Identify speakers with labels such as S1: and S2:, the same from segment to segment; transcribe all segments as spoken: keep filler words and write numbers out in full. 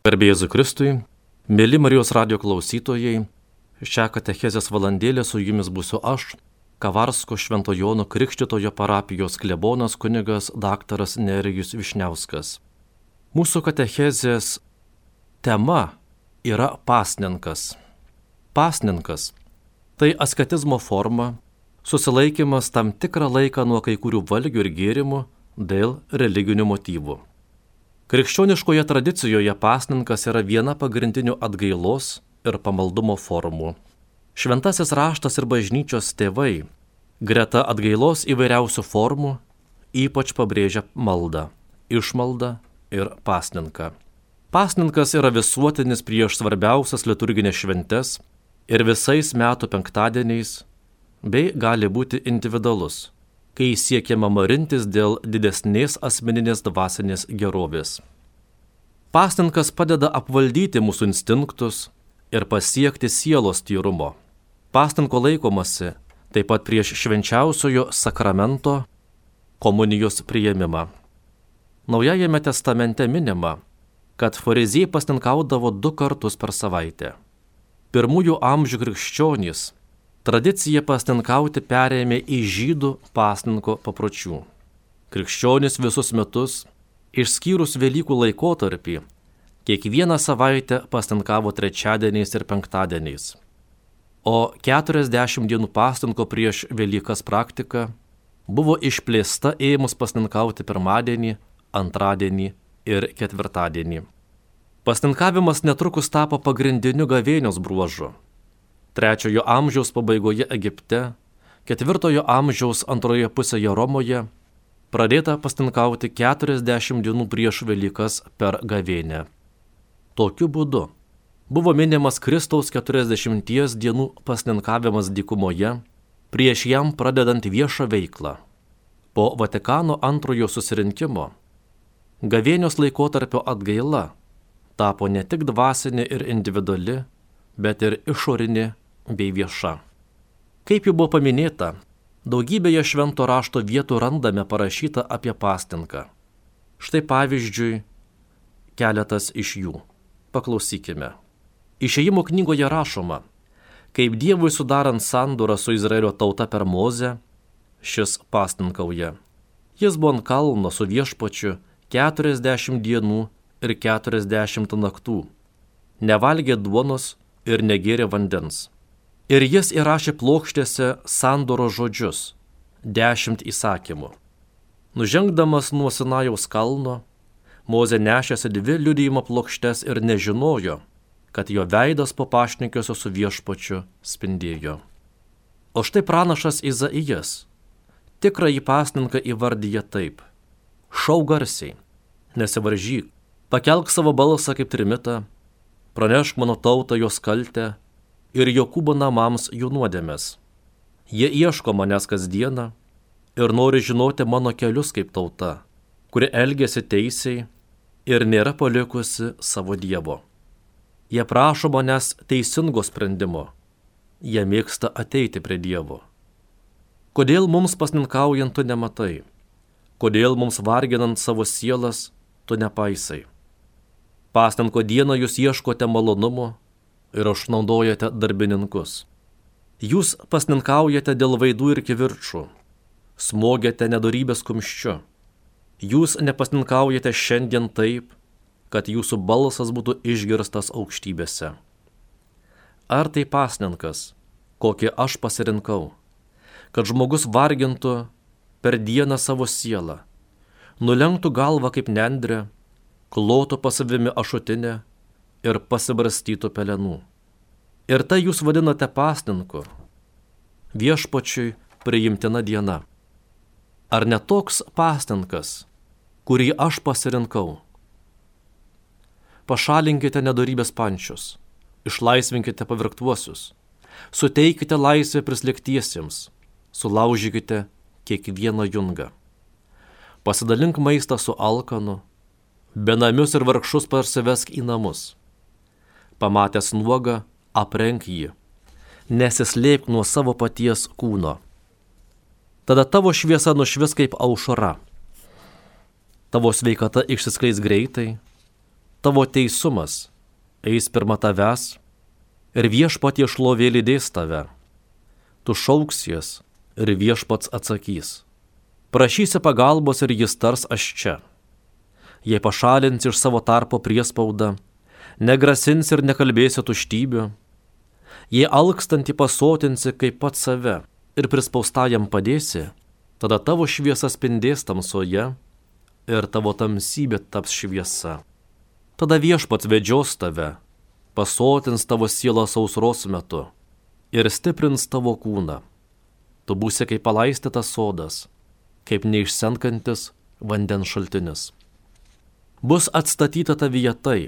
S1: Garbė Jėzui Kristui, mėly Marijos radijo klausytojai, šią katechezės valandėlę su jumis būsiu aš, Kavarsko Švento Jono Krikštytojo parapijos klebonas kunigas daktaras Nerijus Višniauskas. Mūsų katechezės tema yra pasninkas. Pasninkas – tai asketizmo forma, susilaikymas tam tikrą laiką nuo kai kurių valgių ir gėrimų dėl religinių motyvų. Krikščioniškoje tradicijoje pasninkas yra viena pagrindinių atgailos ir pamaldumo formų. Šventasis raštas ir bažnyčios tėvai greta atgailos įvairiausių formų ypač pabrėžia maldą, išmaldą ir pasninką. Pasninkas yra visuotinis prieš svarbiausias liturginės šventes ir visais metų penktadieniais, bei gali būti individualus, kai siekiama marintis dėl didesnės asmeninės dvasinės gerovės. Pasninkas padeda apvaldyti mūsų instinktus ir pasiekti sielos tyrumo. Pasninko laikomasi taip pat prieš švenčiausiojo sakramento komunijos priėmimą. Naujajame testamente minima, kad fariziejai pasninkaudavo du kartus per savaitę. Pirmųjų amžių krikščionys tradiciją pasninkauti perėmė į žydų pasninko papročių. Krikščionys visus metus, išskyrus Velykų laikotarpį, kiekvieną savaitę pasninkavo trečiadieniais ir penktadieniais. O keturiasdešimt dienų pasninko prieš Velykas praktika buvo išplėsta ėmus pasninkauti pirmadienį, antradienį ir ketvirtadienį. Pasninkavimas netrukus tapo pagrindiniu gavėnios bruožu. Trečiojo amžiaus pabaigoje Egipte, ketvirtojo amžiaus antroje pusėje Romoje pradėta pasninkauti keturiasdešimt dienų prieš Velykas per gavėnią. Tokiu būdu buvo minimas Kristaus keturiasdešimties dienų pasninkavimas dykumoje prieš jam pradedant viešą veiklą. Po Vatikano antrojo susirinkimo gavėnios laikotarpio atgaila tapo ne tik dvasinė ir individuali, bet ir išorinė bei vieša. Kaip jau buvo paminėta, daugybėje švento rašto vietų randame parašyta apie pasninką. Štai pavyzdžiui, keletas iš jų. Paklausykime. Išėjimo knygoje rašoma, kaip Dievui sudarant sandorą su Izraelio tauta per Mozę, šis pasninkauja. Jis buvo ant kalno su viešpačiu keturiasdešimt dienų ir keturiasdešimt naktų. Nevalgė duonos ir negėrė vandens. Ir jis įrašė plokštėse sandoro žodžius, dešimt įsakymų. Nužengdamas nuo Sinajaus kalno, Mozė nešėsi dvi liudijimo plokštes ir nežinojo, kad jo veidas po pašnekesio su viešpačiu spindėjo. O štai pranašas Izaijas tikrąjį pasninką įvardyja taip: šau garsiai, nesivaržyk, pakelk savo balsą kaip trimitą, pranešk mano tautą jos kaltę ir Jokūbo namams jų nuodėmes. Jie ieško manęs kasdieną ir nori žinoti mano kelius kaip tauta, kuri elgiasi teisiai ir nėra palikusi savo Dievo. Jie prašo manęs teisingo sprendimo, jie mėgsta ateiti prie Dievo. Kodėl mums pasninkaujant tu nematai? Kodėl mums varginant savo sielas tu nepaisai? Pasninko dieną jūs ieškote malonumo ir išnaudojate darbininkus. Jūs pasninkaujate dėl vaidų ir kivirčų, smogiate nedorybės kumščiu. Jūs nepasninkaujate šiandien taip, kad jūsų balsas būtų išgirstas aukštybėse. Ar tai pasninkas, kokį aš pasirinkau, kad žmogus vargintų per dieną savo sielą, nulenktų galvą kaip nendrė, klotų pasavimi ašutinę ir pasibarstytų pelenų. Ir tai jūs vadinate pasninku, viešpačiui priimtina diena. Ar ne toks pasninkas, kurį aš pasirinkau? Pašalinkite nedorybės pančius, išlaisvinkite pavirktuosius, suteikite laisvę prislėgtiesiems, sulaužykite kiekvieną jungą. Pasidalink maistą su alkanu, benamius ir vargšus parsivesk į namus. Pamatęs nuogą, aprenk jį, nesislėpk nuo savo paties kūno. Tada tavo šviesa nušvis kaip aušra. Tavo sveikata išsiskleis greitai, tavo teisumas eis pirma tavęs ir viešpatie šlovė lydės tave. Tu šauksies ir viešpats atsakys. Prašysi pagalbos ir jis tars aš čia. Jei pašalinsi iš savo tarpo priespaudą, negrasins ir nekalbėsi tuštybių, jei alkstantį pasotinsi kaip pat save ir prispaustajam padėsi, tada tavo šviesa spindės tamsoje ir tavo tamsybė taps šviesa. Tada viešpats vedžios tave, pasotins tavo sielą sausros metu ir stiprins tavo kūną. Tu būsi kaip palaistytas sodas, kaip neišsenkantis vandens šaltinis. Bus atstatyta tavyje tai,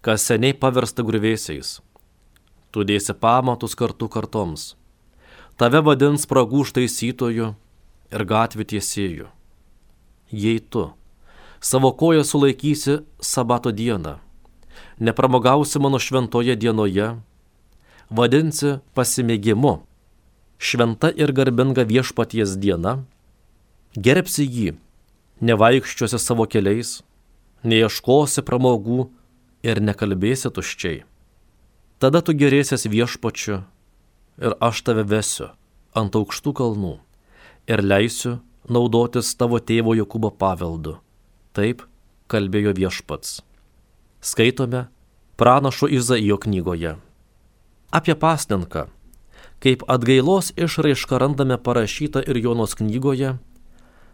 S1: kas seniai paversta griuvėsiais. Tu dėsi pamatus kartu kartoms. Tave vadins spragų ištaisytoju ir gatvių tiesėju. Jei tu savo koją sulaikysi sabato dieną, nepramogausi mano šventoje dienoje, vadinsi pasimėgimu, šventa ir garbinga viešpaties diena, gerbsi jį, nevaikščiosi savo keliais, neieškosi pramogų ir nekalbėsi tuščiai. Tada tu gerėsies viešpačiu ir aš tave vesiu ant aukštų kalnų ir leisiu naudotis tavo tėvo Jokūbo paveldu. Taip kalbėjo viešpats. Skaitome pranašo Izaijo knygoje. Apie pasninką, kaip atgailos išraišką randame parašyta ir Jonos knygoje,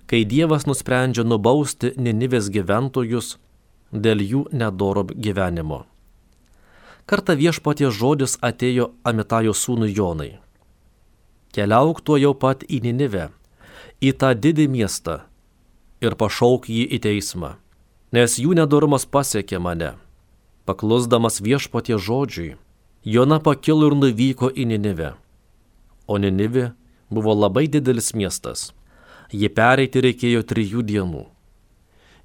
S1: kai Dievas nusprendžia nubausti Ninivės gyventojus dėl jų nedoro gyvenimo. Kartą viešpaties žodis atėjo Amitajo sūnui Jonai. Keliauk tuo jau pat į Ninivę, į tą didį miestą ir pašauk jį į teismą, nes jų nedorumas pasiekė mane. Paklusdamas viešpaties žodžiui, Jona pakilo ir nuvyko į Ninivę. O Ninivė buvo labai didelis miestas. Jį pereiti reikėjo trijų dienų.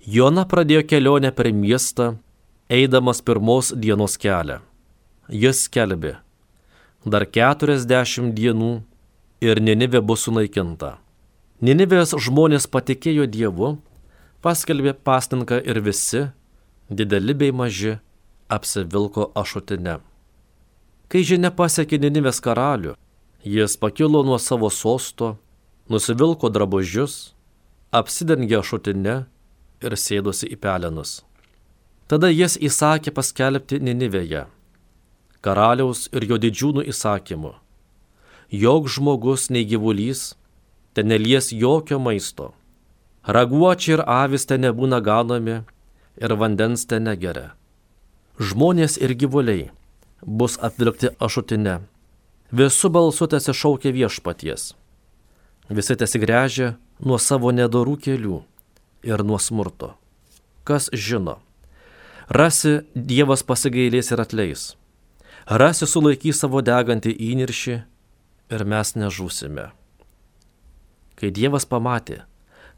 S1: Jona pradėjo kelionę per miestą, eidamas pirmos dienos kelią. Jis skelbė, dar keturiasdešimt dienų ir Ninivė bus sunaikinta. Ninivės žmonės patikėjo Dievu, paskelbė pasninką ir visi, dideli bei maži, apsivilko ašutine. Kai žinia pasiekė Ninivės karalių, jis pakilo nuo savo sosto, nusivilko drabužius, apsidengė ašutine ir sėdosi į pelenus. Tada jis įsakė paskelbti Ninivėje, karaliaus ir jo didžiūnų įsakymu, jog žmogus nei gyvulys ten nelies jokio maisto, raguočiai ir avis ten nebūna ganomi ir vandens ten negeria. Žmonės ir gyvuliai bus apvilkti ašutine, visų balsu tesišaukia viešpaties, visi tesigręžia nuo savo nedorų kelių ir nuo smurto. Kas žino, rasi Dievas pasigailės ir atleis, rasi sulaikys savo degantį įniršį ir mes nežūsime. Kai Dievas pamatė,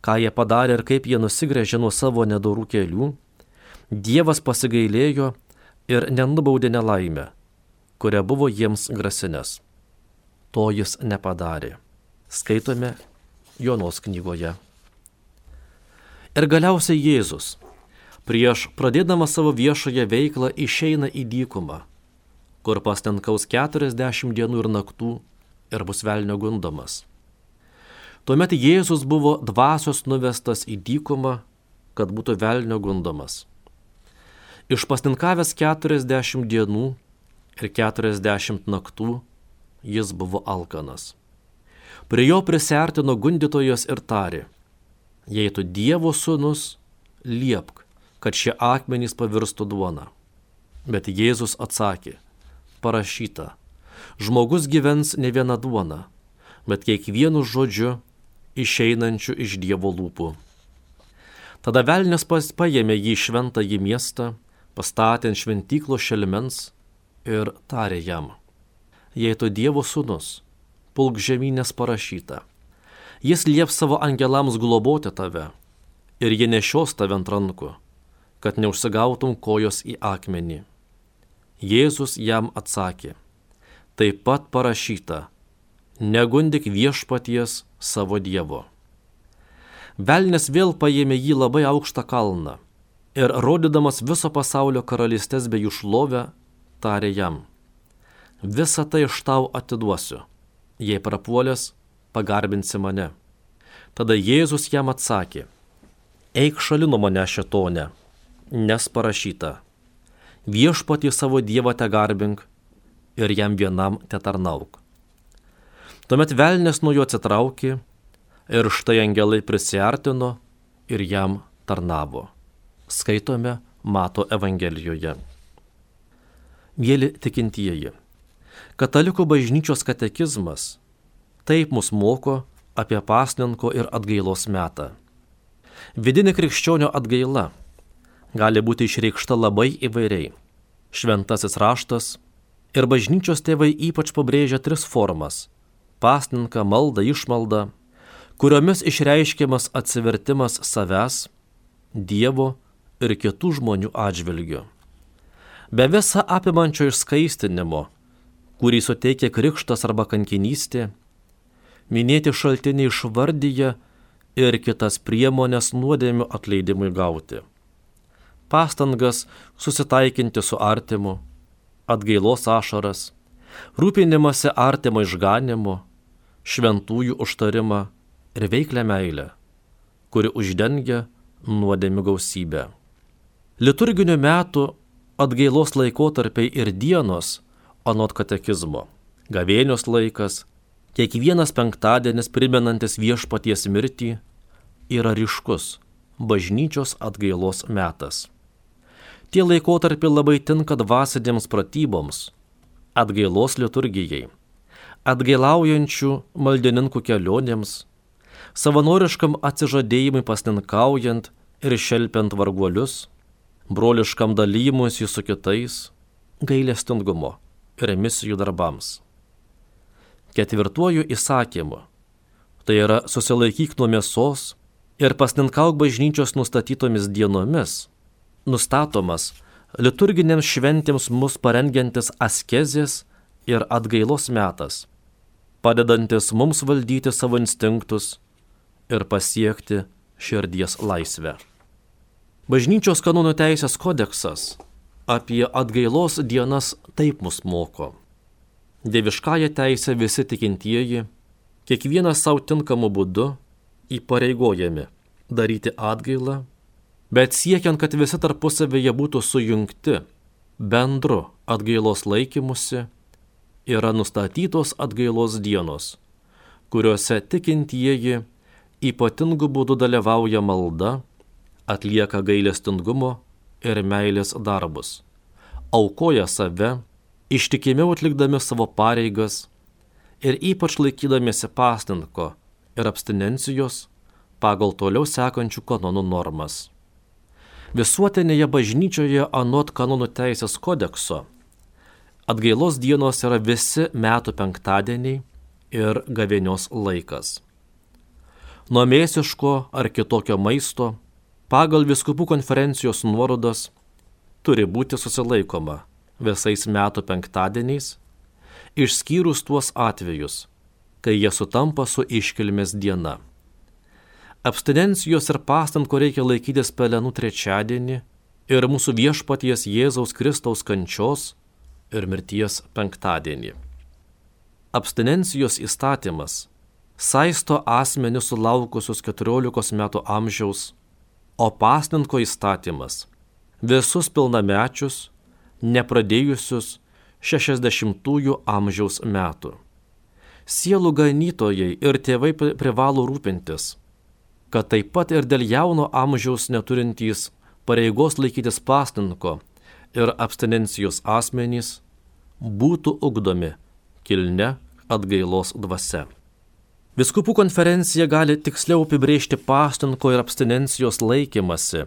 S1: ką jie padarė ir kaip jie nusigręžė nuo savo nedorų kelių, Dievas pasigailėjo ir nenubaudė nelaimę, kurią buvo jiems grasinęs. To jis nepadarė. Skaitome Jonos knygoje. Ir galiausiai Jėzus, prieš pradėdamas savo viešąją veiklą, išeina į dykumą, kur pastenkaus keturiasdešimt dienų ir naktų ir bus velnio gundomas. Tuomet Jėzus buvo dvasios nuvestas į dykumą, kad būtų velnio gundomas. Išpastinkavęs keturiasdešimt dienų ir keturiasdešimt naktų, jis buvo alkanas. Prie jo prisiartino gundytojas ir tarė, jei tu Dievo sūnus, liepk, kad šie akmenys pavirstų duona. Bet Jėzus atsakė, parašyta, žmogus gyvens ne viena duona, bet kiekvienu žodžiu išeinančiu iš Dievo lūpų. Tada velnias paėmė jį šventą į miestą, pastatė ant šventyklos šelmens ir tarė jam, jei tu Dievo sūnus, pulk žemyn, nes parašyta, jis lieps savo angelams globoti tave ir jie nešios tave ant rankų, kad neužsigautum kojos į akmenį. Jėzus jam atsakė, taip pat parašyta, negundik viešpaties savo Dievo. Velnias vėl paėmė jį labai aukštą kalną ir rodydamas viso pasaulio karalystės bei jų šlovę, tarė jam: visą tai aš tau atiduosiu, jei prapuolęs pagarbinsi mane. Tada Jėzus jam atsakė: eik šalin nuo mane, šėtone, nes parašyta: viešpatį savo Dievą te garbink ir jam vienam te tarnauk. Tuomet velnias nuo jo atsitraukė ir štai angelai prisiartino ir jam tarnavo. Skaitome Mato Evangelijoje. Mėly tikintieji, Katalikų bažnyčios katekizmas taip mus moko apie pasninko ir atgailos metą. Vidinė krikščionio atgaila gali būti išreikšta labai įvairiai. Šventasis raštas ir bažnyčios tėvai ypač pabrėžia tris formas – pasninką, maldą, išmaldą, kuriomis išreiškiamas atsivertimas savęs, Dievo ir kitų žmonių atžvilgiu. Be visą apimančio išskaistinimo, kurį suteikia krikštas arba kankinystė, minėti šaltiniai išvardyja ir kitas priemonės nuodėmių atleidimui gauti. Pastangas susitaikinti su artimu, atgailos ašaras, rūpinimąsi artimo išganimu, šventųjų užtarimą ir veiklę meilę, kuri uždengia nuodėmių gausybę. Liturginių metų atgailos laikotarpiai ir dienos, anot katekizmo, gavėnios laikas, kiekvienas penktadienis primenantis viešpaties mirtį, yra ryškus bažnyčios atgailos metas. Tie laikotarpiai labai tinka dvasinėms pratyboms, atgailos liturgijai, atgailaujančių maldininkų kelionėms, savanoriškam atsižadėjimui pasninkaujant ir šelpiant varguolius, broliškam dalymuisi su kitais, gailestingumo ir misijų darbams. Ketvirtuoju įsakymu, tai yra susilaikyk nuo mėsos ir pasninkauk bažnyčios nustatytomis dienomis, nustatomas liturginėms šventėms mus parengiantis askezės ir atgailos metas, padedantis mums valdyti savo instinktus ir pasiekti širdies laisvę. Bažnyčios kanonų teisės kodeksas apie atgailos dienas taip mus moko. Dieviškąją teisę visi tikintieji, kiekvienas savo tinkamu būdu įpareigojami daryti atgailą, bet siekiant, kad visi tarpusavėje būtų sujungti bendru atgailos laikymusi, yra nustatytos atgailos dienos, kuriuose tikintieji ypatingu būdu dalyvauja malda, atlieka gailestingumo ir meilės darbus, aukoja save, ištikimiau atlikdami savo pareigas ir ypač laikydamiesi pasninko ir abstinencijos pagal toliau sekančių kanonų normas. Visuotinėje bažnyčioje anot kanonų teisės kodekso atgailos dienos yra visi metų penktadieniai ir gavėnios laikas. Nuo mėsiško ar kitokio maisto pagal vyskupų konferencijos nuorodas turi būti susilaikoma visais metų penktadieniais, išskyrus tuos atvejus, kai jie sutampa su iškilmės diena. Abstinencijos ir pasninko reikia laikytis pelenų trečiadienį ir mūsų viešpaties Jėzaus Kristaus kančios ir mirties penktadienį. Abstinencijos įstatymas saisto asmenį sulaukusius keturiolikos metų amžiaus, o pasninko įstatymas visus pilnamečius, nepradėjusius šešiasdešimtųjų amžiaus metų. Sielų ganytojai ir tėvai privalo rūpintis, kad taip pat ir dėl jauno amžiaus neturintys pareigos laikytis pasninko ir abstinencijos asmenys būtų ugdomi kilnia atgailos dvasia. Vyskupų konferencija gali tiksliau apibrėžti pasninko ir abstinencijos laikymasi,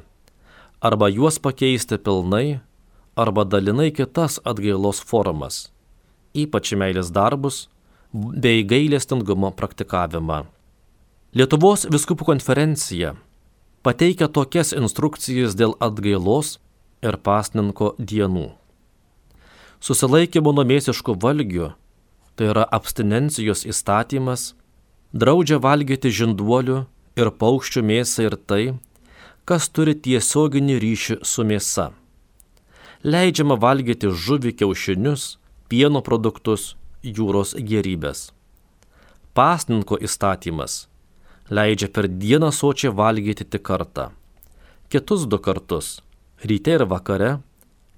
S1: arba juos pakeisti pilnai, arba dalinai kitas atgailos formas, ypač meilės darbus bei gailestingumo praktikavimą. Lietuvos vyskupų konferencija pateikia tokias instrukcijas dėl atgailos ir pasninko dienų. Susilaikymo nuo mėsiškų valgių, tai yra abstinencijos įstatymas, draudžia valgyti žinduolių ir paukščių mėsą ir tai, kas turi tiesioginį ryšį su mėsa. Leidžiama valgyti žuvį, kiaušinius, pieno produktus, jūros gėrybės. Pasninko įstatymas leidžia per dieną sočiai valgyti tik kartą. Kitus du kartus, ryte ir vakare,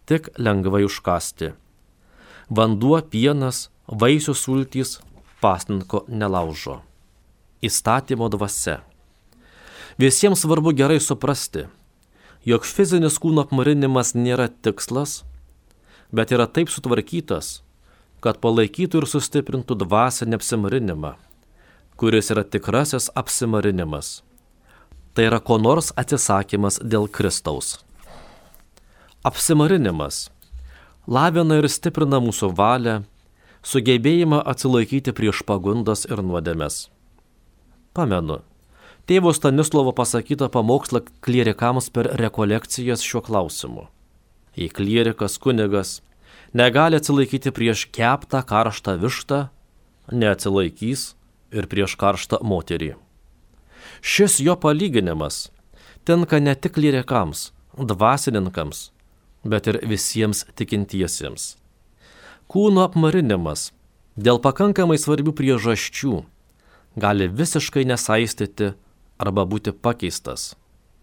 S1: tik lengvai užkasti. Vanduo, pienas, vaisių sultys pasninko nelaužo. Įstatymo dvasia. Visiems svarbu gerai suprasti, jog fizinis kūno apmarinimas nėra tikslas, bet yra taip sutvarkytas, kad palaikytų ir sustiprintų dvasinį apsimarinimą, kuris yra tikrasis apsimarinimas. Tai yra ko nors atsisakymas dėl Kristaus. Apsimarinimas lavina ir stiprina mūsų valią, sugebėjimą atsilaikyti prieš pagundas ir nuodėmes. Pamenu, tėvo Stanislovo pasakytą pamokslą klierikams per rekolekcijas šiuo klausimu. Jei klierikas, kunigas negali atsilaikyti prieš keptą karštą vištą, neatsilaikys ir prieš karštą moterį. Šis jo palyginimas tinka ne tik klierikams, dvasininkams, bet ir visiems tikintiesiems. Kūno apmarinimas dėl pakankamai svarbių priežasčių gali visiškai nesaistyti arba būti pakeistas.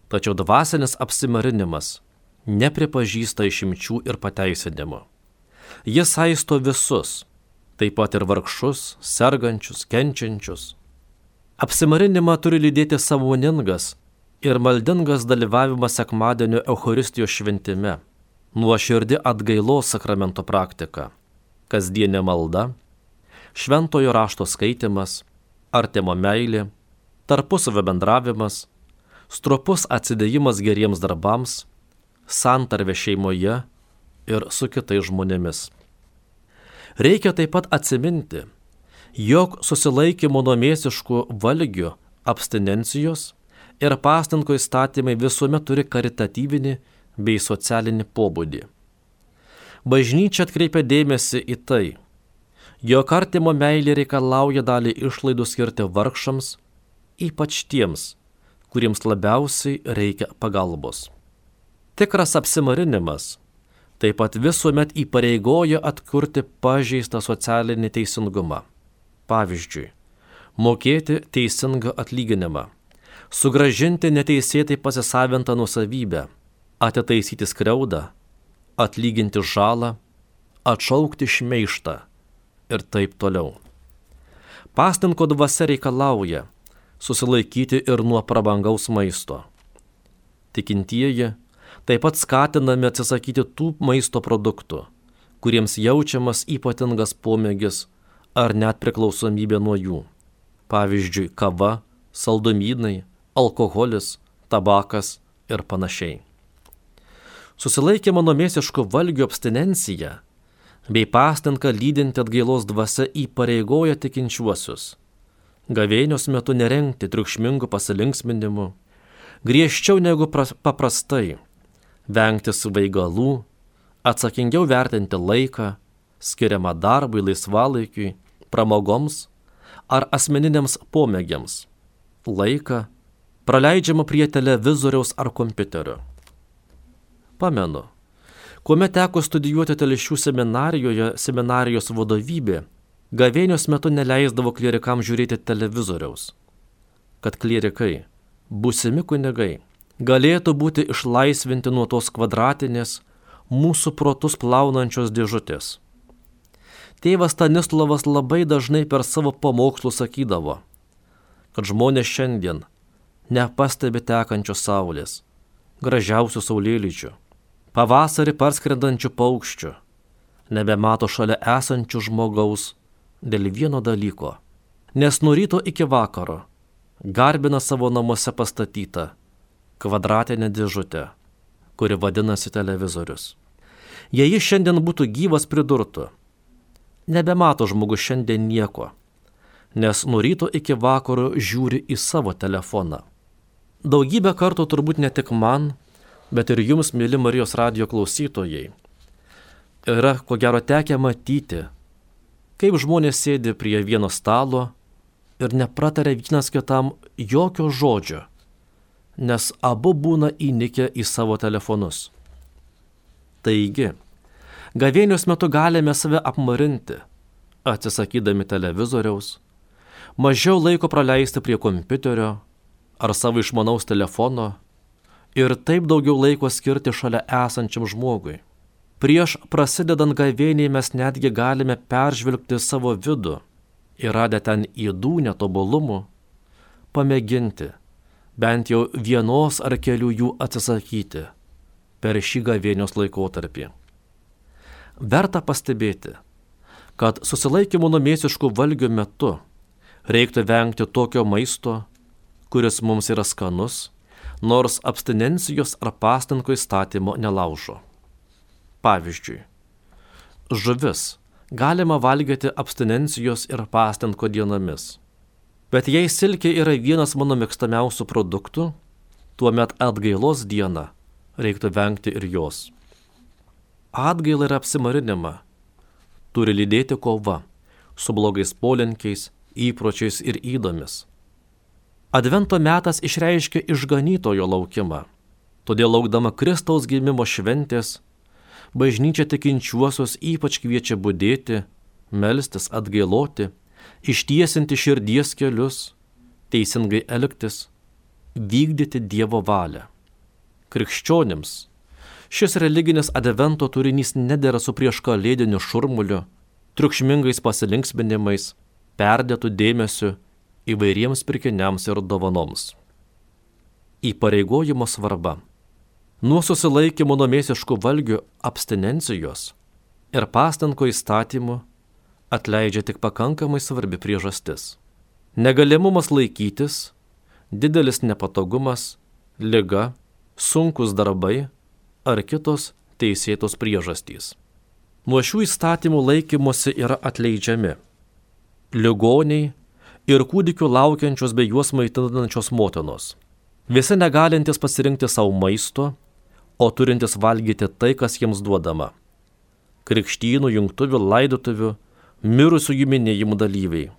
S1: Tačiau dvasinis apsimarinimas nepripažįsta išimčių ir pateisinimo. Jis saisto visus, taip pat ir vargšus, sergančius, kenčiančius. Apsimarinimą turi lydėti sąmoningas ir maldingas dalyvavimas sekmadienio Eucharistijos šventime, nuoširdi atgailos sakramento praktika, kasdienė malda, šventojo rašto skaitimas, artimo meilė, tarpusavio bendravimas, stropus atsidėjimas geriems darbams, santarvė šeimoje ir su kitais žmonėmis. Reikia taip pat atsiminti, jog susilaikymo nuo mėsiškų valgių, abstinencijos ir pasninko įstatymai visuomet turi karitatyvinį bei socialinį pobūdį. Bažnyčia atkreipia dėmesį į tai, jog artimo meilė reikalauja dalį išlaidų skirti vargšams, ypač tiems, kuriems labiausiai reikia pagalbos. Tikras apsimarinimas taip pat visuomet įpareigoja atkurti pažeistą socialinį teisingumą. Pavyzdžiui, mokėti teisingą atlyginimą, sugrąžinti neteisėtai pasisavintą nuosavybę, atitaisyti skriaudą, atlyginti žalą, atšaukti šmeižtą ir taip toliau. Pasninko dvasia reikalauja susilaikyti ir nuo prabangaus maisto. Tikintieji taip pat skatinami atsisakyti tų maisto produktų, kuriems jaučiamas ypatingas pomėgis ar net priklausomybė nuo jų. Pavyzdžiui, kava, saldumynai, alkoholis, tabakas ir panašiai. Susilaikymą nuo mėsiškų valgių abstinencija bei pasninką lydinti atgailos dvasia įpareigoja tikinčiuosius gavėnios metu nerengti triukšmingų pasilinksminimų, griežčiau negu paprastai, vengti svaigalų, atsakingiau vertinti laiką, skiriamą darbui, laisvalaikiui, pramogoms ar asmeniniams pomėgiams, laiką, praleidžiamą prie televizoriaus ar kompiuterio. Pamenu, kuomet teko studijuoti Telšių seminarijoje, seminarijos vadovybė gavėnios metu neleisdavo klierikams žiūrėti televizoriaus, kad klierikai, būsimi kunigai, galėtų būti išlaisvinti nuo tos kvadratinės, mūsų protus plaunančios dėžutės. Tėvas Stanislovas labai dažnai per savo pamokslus sakydavo, kad žmonės šiandien nepastebi tekančios saulės, gražiausių saulėlyčių, pavasarį parskrendančių paukščių, nebemato šalia esančių žmogaus dėl vieno dalyko, nes nuo ryto iki vakaro garbina savo namuose pastatytą kvadratinę dėžutę, kuri vadinasi televizorius. Jei jis šiandien būtų gyvas, pridurtų, nebemato žmogus šiandien nieko, nes nuo ryto iki vakaro žiūri į savo telefoną. Daugybę kartų turbūt ne tik man, bet ir jums, mieli Marijos radijo klausytojai, yra ko gero tekę matyti, kaip žmonės sėdi prie vieno stalo ir neprataria vienas kitam jokio žodžio, nes abu būna įnikę į savo telefonus. Taigi, gavėnios metu galime save apmarinti, atsisakydami televizoriaus, mažiau laiko praleisti prie kompiuterio ar savo išmanaus telefono ir taip daugiau laiko skirti šalia esančiam žmogui. Prieš prasidedant gavėniai mes netgi galime peržvelgti savo vidų ir radę ten ydų netobulumų, pamėginti bent jau vienos ar kelių jų atsisakyti per šį gavėnios laikotarpį. Verta pastebėti, kad susilaikymo nuo mėsiškų valgių metu reiktų vengti tokio maisto, kuris mums yra skanus, nors abstinencijos ar pasninko įstatymo nelaužo. Pavyzdžiui, žuvis galima valgyti abstinencijos ir pasninko dienomis. Bet jei silkė yra vienas mano mėgstamiausių produktų, tuomet atgailos dieną reiktų vengti ir jos. Atgaila ir apsimarinimą turi lydėti kova su blogais polinkiais, įpročiais ir ydomis. Advento metas išreiškia išganytojo laukimą, todėl laukdama Kristaus gimimo šventės, bažnyčia tikinčiuosius ypač kviečia budėti, melstis, atgailoti, ištiesinti širdies kelius, teisingai elgtis, vykdyti Dievo valią. Krikščionims šis religinis advento turinys nedera su prieškalėdiniu šurmuliu, triukšmingais pasilinksminimais, perdėtų dėmesiu įvairiems pirkiniams ir dovanoms. Įpareigojimo svarba. Nuo susilaikymo nuo mėsiškų valgių abstinencijos ir pasninko įstatymų atleidžia tik pakankamai svarbi priežastis. Negalimumas laikytis, didelis nepatogumas, liga, sunkus darbai ar kitos teisėtos priežastys. Nuo šių įstatymų laikymosi yra atleidžiami ligoniai ir kūdikių laukiančios bei juos maitinančios motinos. Visi negalintys pasirinkti savo maisto, o turintis valgyti tai, kas jiems duodama. Krikštynų, jungtuvių, laidotuvių, mirusių jų minėjimų dalyviai,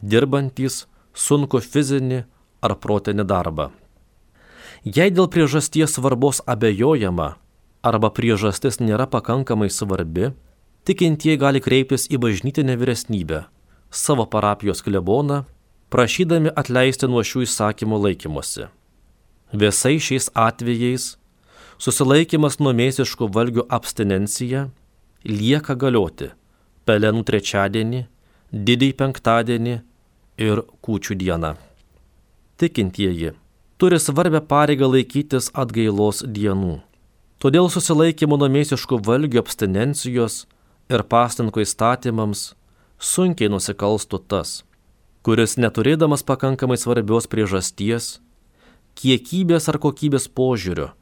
S1: dirbantys sunku fizinį ar protinį darbą. Jei dėl priežasties svarbos abejojama arba priežastis nėra pakankamai svarbi, tikintieji gali kreiptis į bažnytinę vyresnybę, savo parapijos kleboną, prašydami atleisti nuo šių įsakymų laikymosi. Visais šiais atvejais susilaikymas nuo mėsiškų valgių abstinencija lieka galioti Pelenų trečiadienį, Didįjį penktadienį ir Kūčių dieną. Tikintieji turi svarbę pareigą laikytis atgailos dienų. Todėl susilaikymo nuo mėsiškų valgių abstinencijos ir pasninko įstatymams sunkiai nusikalstų tas, kuris neturėdamas pakankamai svarbios priežasties, kiekybės ar kokybės požiūrio,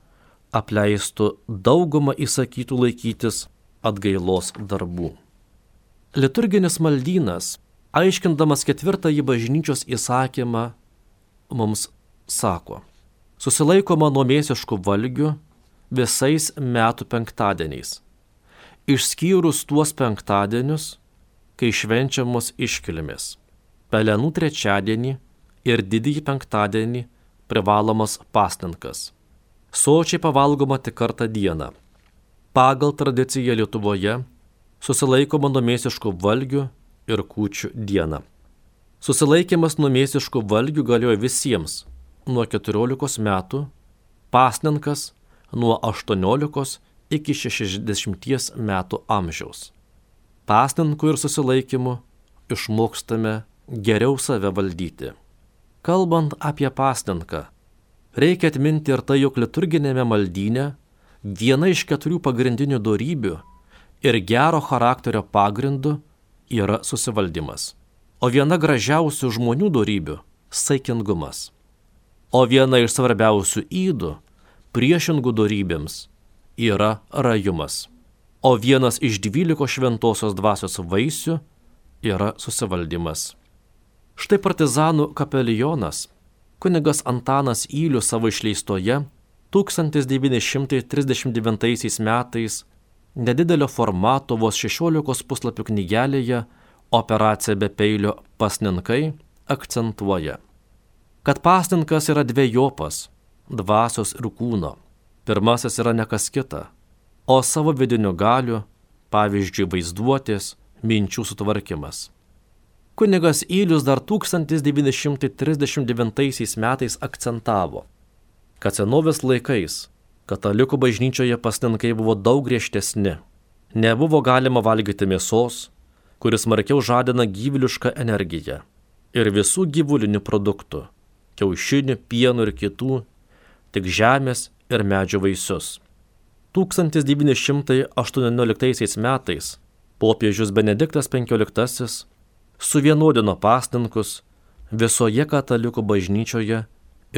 S1: apleistų daugumą įsakytų laikytis atgailos darbų. Liturginis maldynas, aiškindamas ketvirtąjį bažnyčios įsakymą, mums sako: susilaikoma nuo mėsiškų valgių visais metų penktadieniais, išskyrus tuos penktadienius, kai švenčiamos iškilmės. Pelenų trečiadienį ir Didįjį penktadienį privalomas pasninkas. Sočiai pavalgoma tik kartą dieną. Pagal tradiciją Lietuvoje susilaikoma nuo mėsiškų valgių ir kūčių dieną. Susilaikymas nuo mėsiškų valgių galioja visiems nuo keturiolikos metų, pasninkas nuo aštuoniolikos iki šešiasdešimties metų amžiaus. Pasninku ir susilaikymu išmokstame geriau save valdyti. Kalbant apie pasninką, reikia atminti ir tai, jog liturginėme maldyne viena iš keturių pagrindinių dorybių ir gero charakterio pagrindų yra susivaldymas, o viena gražiausių žmonių dorybių – saikingumas. O viena iš svarbiausių ydų priešingų dorybėms yra rajumas, o vienas iš dvylikos šventosios dvasios vaisių yra susivaldymas. Štai partizanų kapelionas kunigas Antanas Ylius savo išleistoje tūkstantis devyni šimtai trisdešimt devintaisiais metais nedidelio formato vos šešiolikos puslapių knygelėje Operacija be peilio pasninkai akcentuoja, kad pasninkas yra dvejopas dvasios ir kūno. Pirmasis yra ne kas kita, o savo vidinių galių, pavyzdžiui, vaizduotės, minčių sutvarkymas. Kunigas Ylius dar tūkstantis devyni šimtai trisdešimt devintaisiais metais akcentavo, kad senovės laikais katalikų bažnyčioje pasninkai buvo daug griežtesni. Nebuvo galima valgyti mėsos, kuris smarkiau žadina gyvulišką energiją, ir visų gyvulinių produktų, kiaušinių, pieno ir kitų, tik žemės ir medžio vaisius. tūkstantis devyni šimtai aštuonioliktaisiais metais popiežius Benediktas penkioliktasis suvienodino pasninkus visoje katalikų bažnyčioje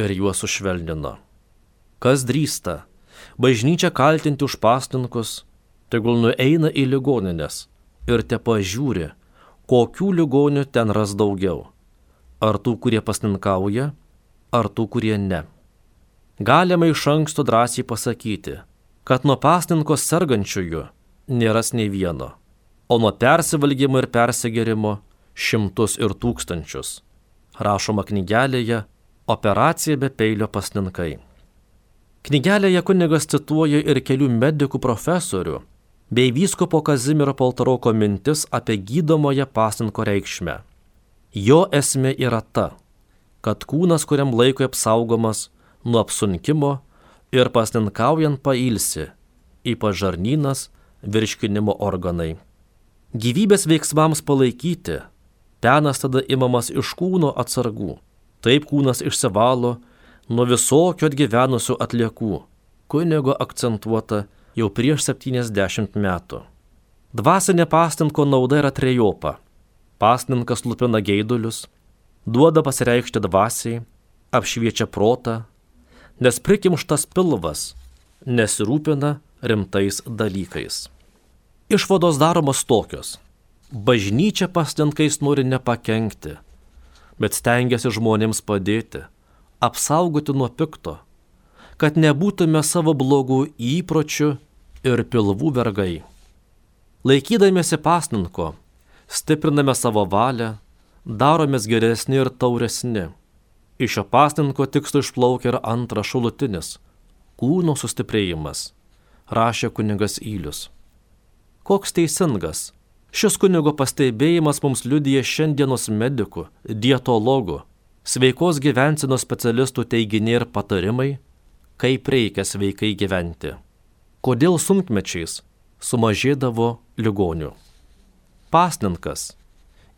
S1: ir juos sušvelnino. Kas drįsta bažnyčią kaltinti už pasninkus, tegul nueina į ligonines ir tepažiūri, kokių ligonių ten ras daugiau. Ar tų, kurie pasninkauja, ar tų, kurie ne. Galima iš anksto drąsiai pasakyti, kad nuo pasninko sergančiųjų nėra nei vieno, o nuo persivalgymo ir persigerimo šimtus ir tūkstančius. Rašoma knygelėje Operacija be peilio pasninkai. Knygelėje kunigas cituoja ir kelių medikų profesorių bei vyskupo Kazimiero Paltaroko mintis apie gydomoją pasninko reikšmę. Jo esmė yra ta, kad kūnas kuriam laikui apsaugomas nuo apsunkimo ir pasninkaujant pailsi, ypač žarnynas, virškinimo organai. Gyvybės veiksmams palaikyti, penas tada imamas iš kūno atsargų. Taip kūnas išsivalo nuo visokio atgyvenusių atliekų, kunigo akcentuota jau prieš septyniasdešimt metų. Dvasinė pasninko nauda yra trejopa. Pasninkas lupina geidulius, duoda pasireikšti dvasiai, apšviečia protą, nes prikimštas pilvas nesirūpina rimtais dalykais. Išvados daromos tokios. Bažnyčia pasninkais nori nepakenkti, bet stengiasi žmonėms padėti, apsaugoti nuo pikto, kad nebūtume savo blogų įpročių ir pilvų vergai. Laikydamiesi pasninko, stipriname savo valią, daromės geresni ir tauresni. Iš šio pasninko tikslo išplaukia ir antras šalutinis – kūno sustiprėjimas, rašė kunigas Ylius. Koks teisingas šis kunigo pastebėjimas mums liudija šiandienos medikų, dietologų, sveikos gyvensenos specialistų teiginiai ir patarimai, kaip reikia sveikai gyventi. Kodėl sunkmečiais sumažėdavo ligonių. Pasninkas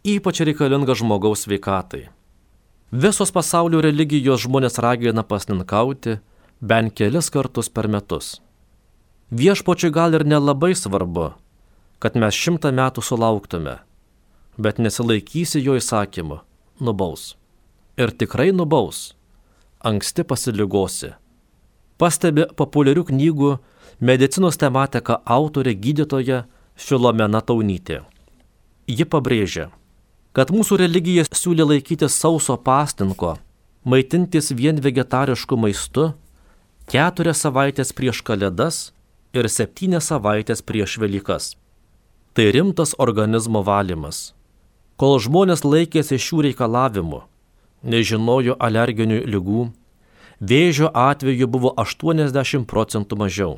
S1: ypač reikalingas žmogaus sveikatai. Visos pasaulio religijos žmonės ragina pasninkauti bent kelis kartus per metus. Viešpačiui gal ir nelabai svarbu, kad mes šimtą metų sulauktume, bet nesilaikysi jo įsakymu, nubaus. Ir tikrai nubaus, anksti pasiligosi. Pastebi populiarių knygų medicinos tematika autorė gydytoja Filomena Taunytė. Ji pabrėžia, kad mūsų religija siūlė laikyti sauso pasninko, maitintis vien vegetarišku maistu, keturias savaitės prieš Kalėdas ir septynias savaitės prieš Velykas. Tai rimtas organizmo valymas. Kol žmonės laikėsi šių reikalavimų, nežinojo alerginių ligų, vėžio atveju buvo aštuoniasdešimt procentų mažiau.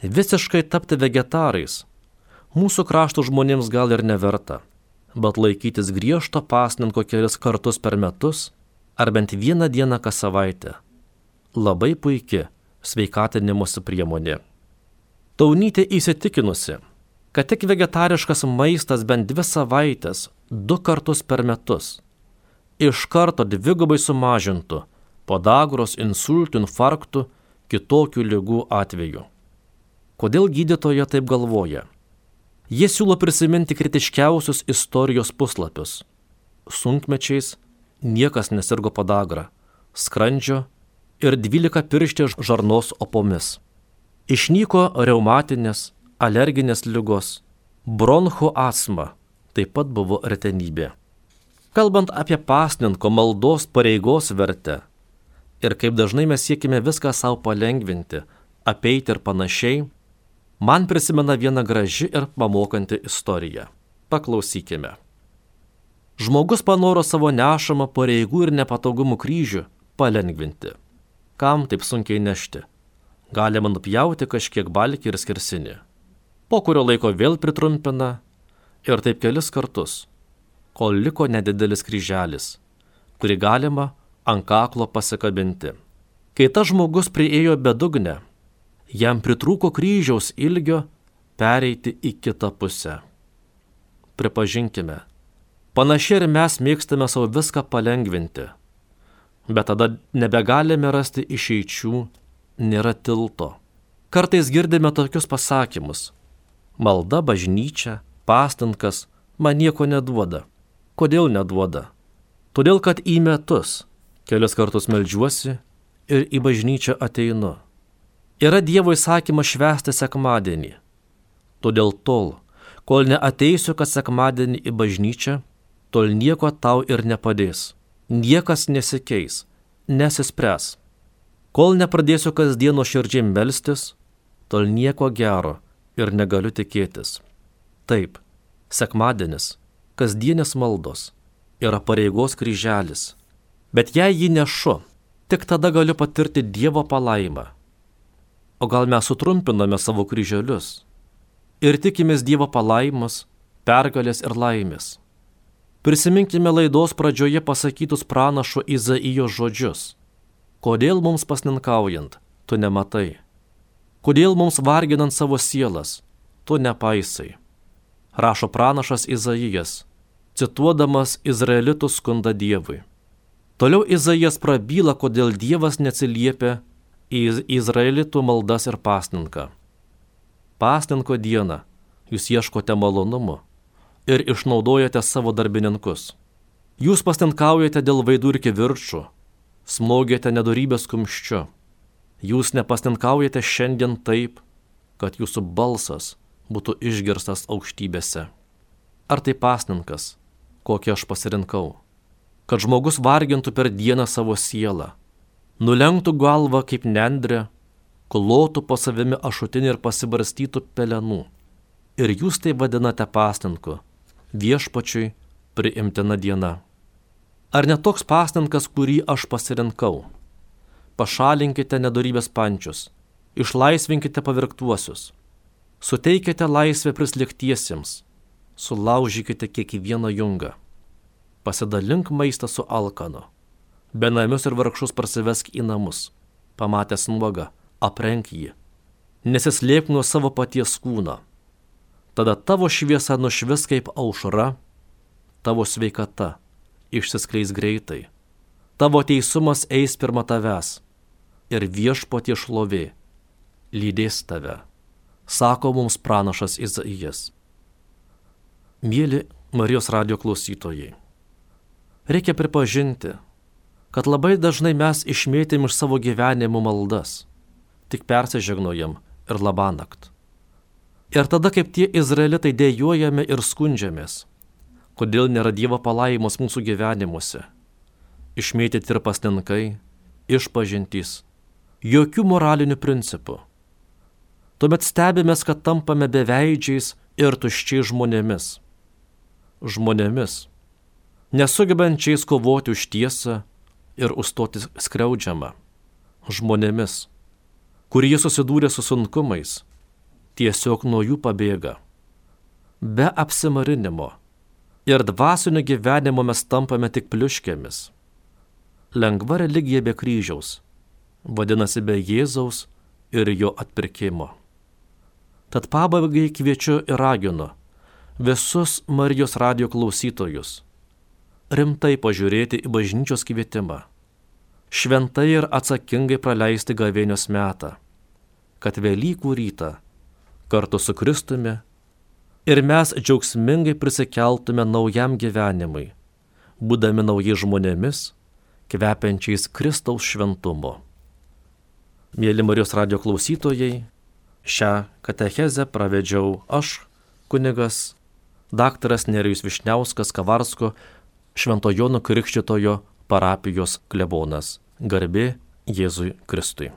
S1: Visiškai tapti vegetarais mūsų krašto žmonėms gal ir neverta, bet laikytis griežto pasninko kelis kartus per metus ar bent vieną dieną kas savaitę labai puiki sveikatinimosi priemonė. Taunytė įsitikinusi, kad tik vegetariškas maistas bent dvi savaitės, du kartus per metus, iš karto dvigubai sumažintų podagros, insultų, infarktų, kitokių ligų atveju. Kodėl gydytoja taip galvoja? Jie siūlo prisiminti kritiškiausius istorijos puslapius. Sunkmečiais niekas nesirgo podagra, skrandžio ir dvylika pirštės žarnos opomis. Išnyko reumatinės, alerginės ligos, bronchų astma taip pat buvo retenybė. Kalbant apie pasninko maldos pareigos vertę ir kaip dažnai mes siekime viską savo palengvinti, apeiti ir panašiai, man prisimena viena graži ir pamokanti istorija. Paklausykime. Žmogus panoro savo nešamą pareigų ir nepatogumų kryžių palengvinti. Kam taip sunkiai nešti? Galima nupjauti kažkiek balkį ir skersinį. Po kurio laiko vėl pritrumpina ir taip kelis kartus, kol liko nedidelis kryželis, kurį galima ant kaklo pasikabinti. Kai tas žmogus priėjo bedugnę, jam pritrūko kryžiaus ilgio pereiti į kitą pusę. Pripažinkime, panašiai ir mes mėgstame savo viską palengvinti, bet tada nebegalime rasti išeičių, nėra tilto. Kartais girdime tokius pasakymus: malda, bažnyčia, pasninkas man nieko neduoda. Kodėl neduoda? Todėl, kad į metus kelis kartus meldžiuosi ir į bažnyčią ateinu. Yra Dievo įsakymas švęsti sekmadienį. Todėl tol, kol neateisiu kas sekmadienį į bažnyčią, tol nieko tau ir nepadės. Niekas nesikeis, nesispręs. Kol nepradėsiu kasdien nuoširdžiai melstis, tol nieko gero ir negaliu tikėtis. Taip, sekmadienis, kasdienis maldos, yra pareigos kryželis. Bet jei jį nešu, tik tada galiu patirti Dievo palaimą. O gal mes sutrumpiname savo kryželius ir tikimės Dievo palaimos, pergalės ir laimės. Prisiminkime laidos pradžioje pasakytus pranašo Izaijo žodžius. Kodėl mums pasninkaujant, tu nematai? Kodėl mums varginant savo sielas, tu nepaisai? Rašo pranašas Izaijas, cituodamas izraelitų skundą Dievui. Toliau Izaijas prabyla, kodėl Dievas neatsiliepia į izraelitų maldas ir pasninką. Pasninko dieną jūs ieškote malonumo ir išnaudojate savo darbininkus. Jūs pasninkaujate dėl vaidų ir kivirčų, smogiate nedorybės kumščiu. Jūs nepasninkaujate šiandien taip, kad jūsų balsas būtų išgirstas aukštybėse. Ar tai pasninkas, kokį aš pasirinkau? Kad žmogus vargintų per dieną savo sielą, nulenktų galvą kaip nendrė, klotų po savimi ašutinį ir pasibarstytų pelenų. Ir jūs tai vadinate pasninku, viešpačiui priimtina diena. Ar ne toks pasninkas, kurį aš pasirinkau? Pašalinkite nedorybės pančius, išlaisvinkite pavirktuosius, suteikite laisvę prislėgtiesiems, sulaužykite kiekvieną jungą. Pasidalink maistą su alkanu, benamius ir vargšus parsivesk į namus, pamatęs nuogą, aprenk jį, nesislėpk nuo savo paties kūno. Tada tavo šviesa nušvis kaip aušra, tavo sveikata išsiskleis greitai, tavo teisumas eis pirma tavęs ir viešpaties šlovė lydės tave, sako mums pranašas Izaijas. Mieli Marijos radijo klausytojai, reikia pripažinti, kad labai dažnai mes išmėtėm iš savo gyvenimo maldas, tik persižegnojam ir labanakt. Ir tada kaip tie izraelitai dėjojame ir skundžiamės, kodėl nėra Dievo palaimos mūsų gyvenimuose. Išmėtyti ir pasninkai, išpažintys, jokių moralinių principų. Tuomet stebimės, kad tampame beveidžiais ir tuščiais žmonėmis. Žmonėmis, nesugebančiais kovoti už tiesą ir užstoti skriaudžiamą. Žmonėmis, kurie susidūrė su sunkumais, tiesiog nuo jų pabėga. Be apsimarinimo ir dvasinio gyvenimo mes tampame tik pliuškėmis. Lengva religija be kryžiaus, vadinasi be Jėzaus ir jo atpirkimo. Tad pabaigai kviečiu ir raginu visus Marijos radijo klausytojus rimtai pažiūrėti į bažnyčios kvietimą, šventai ir atsakingai praleisti gavėnios metą, kad Velykų rytą kartu su Kristumi ir mes džiaugsmingai prisikeltume naujam gyvenimui, būdami naujai žmonėmis, kvepiančiais Kristaus šventumo. Mėly Marijos radijo klausytojai, šią katechezę pravedžiau aš, kunigas daktaras Nerijus Višniauskas Kavarsko, Švento Jono Krikštytojo parapijos klebonas. Garbė Jėzui Kristui.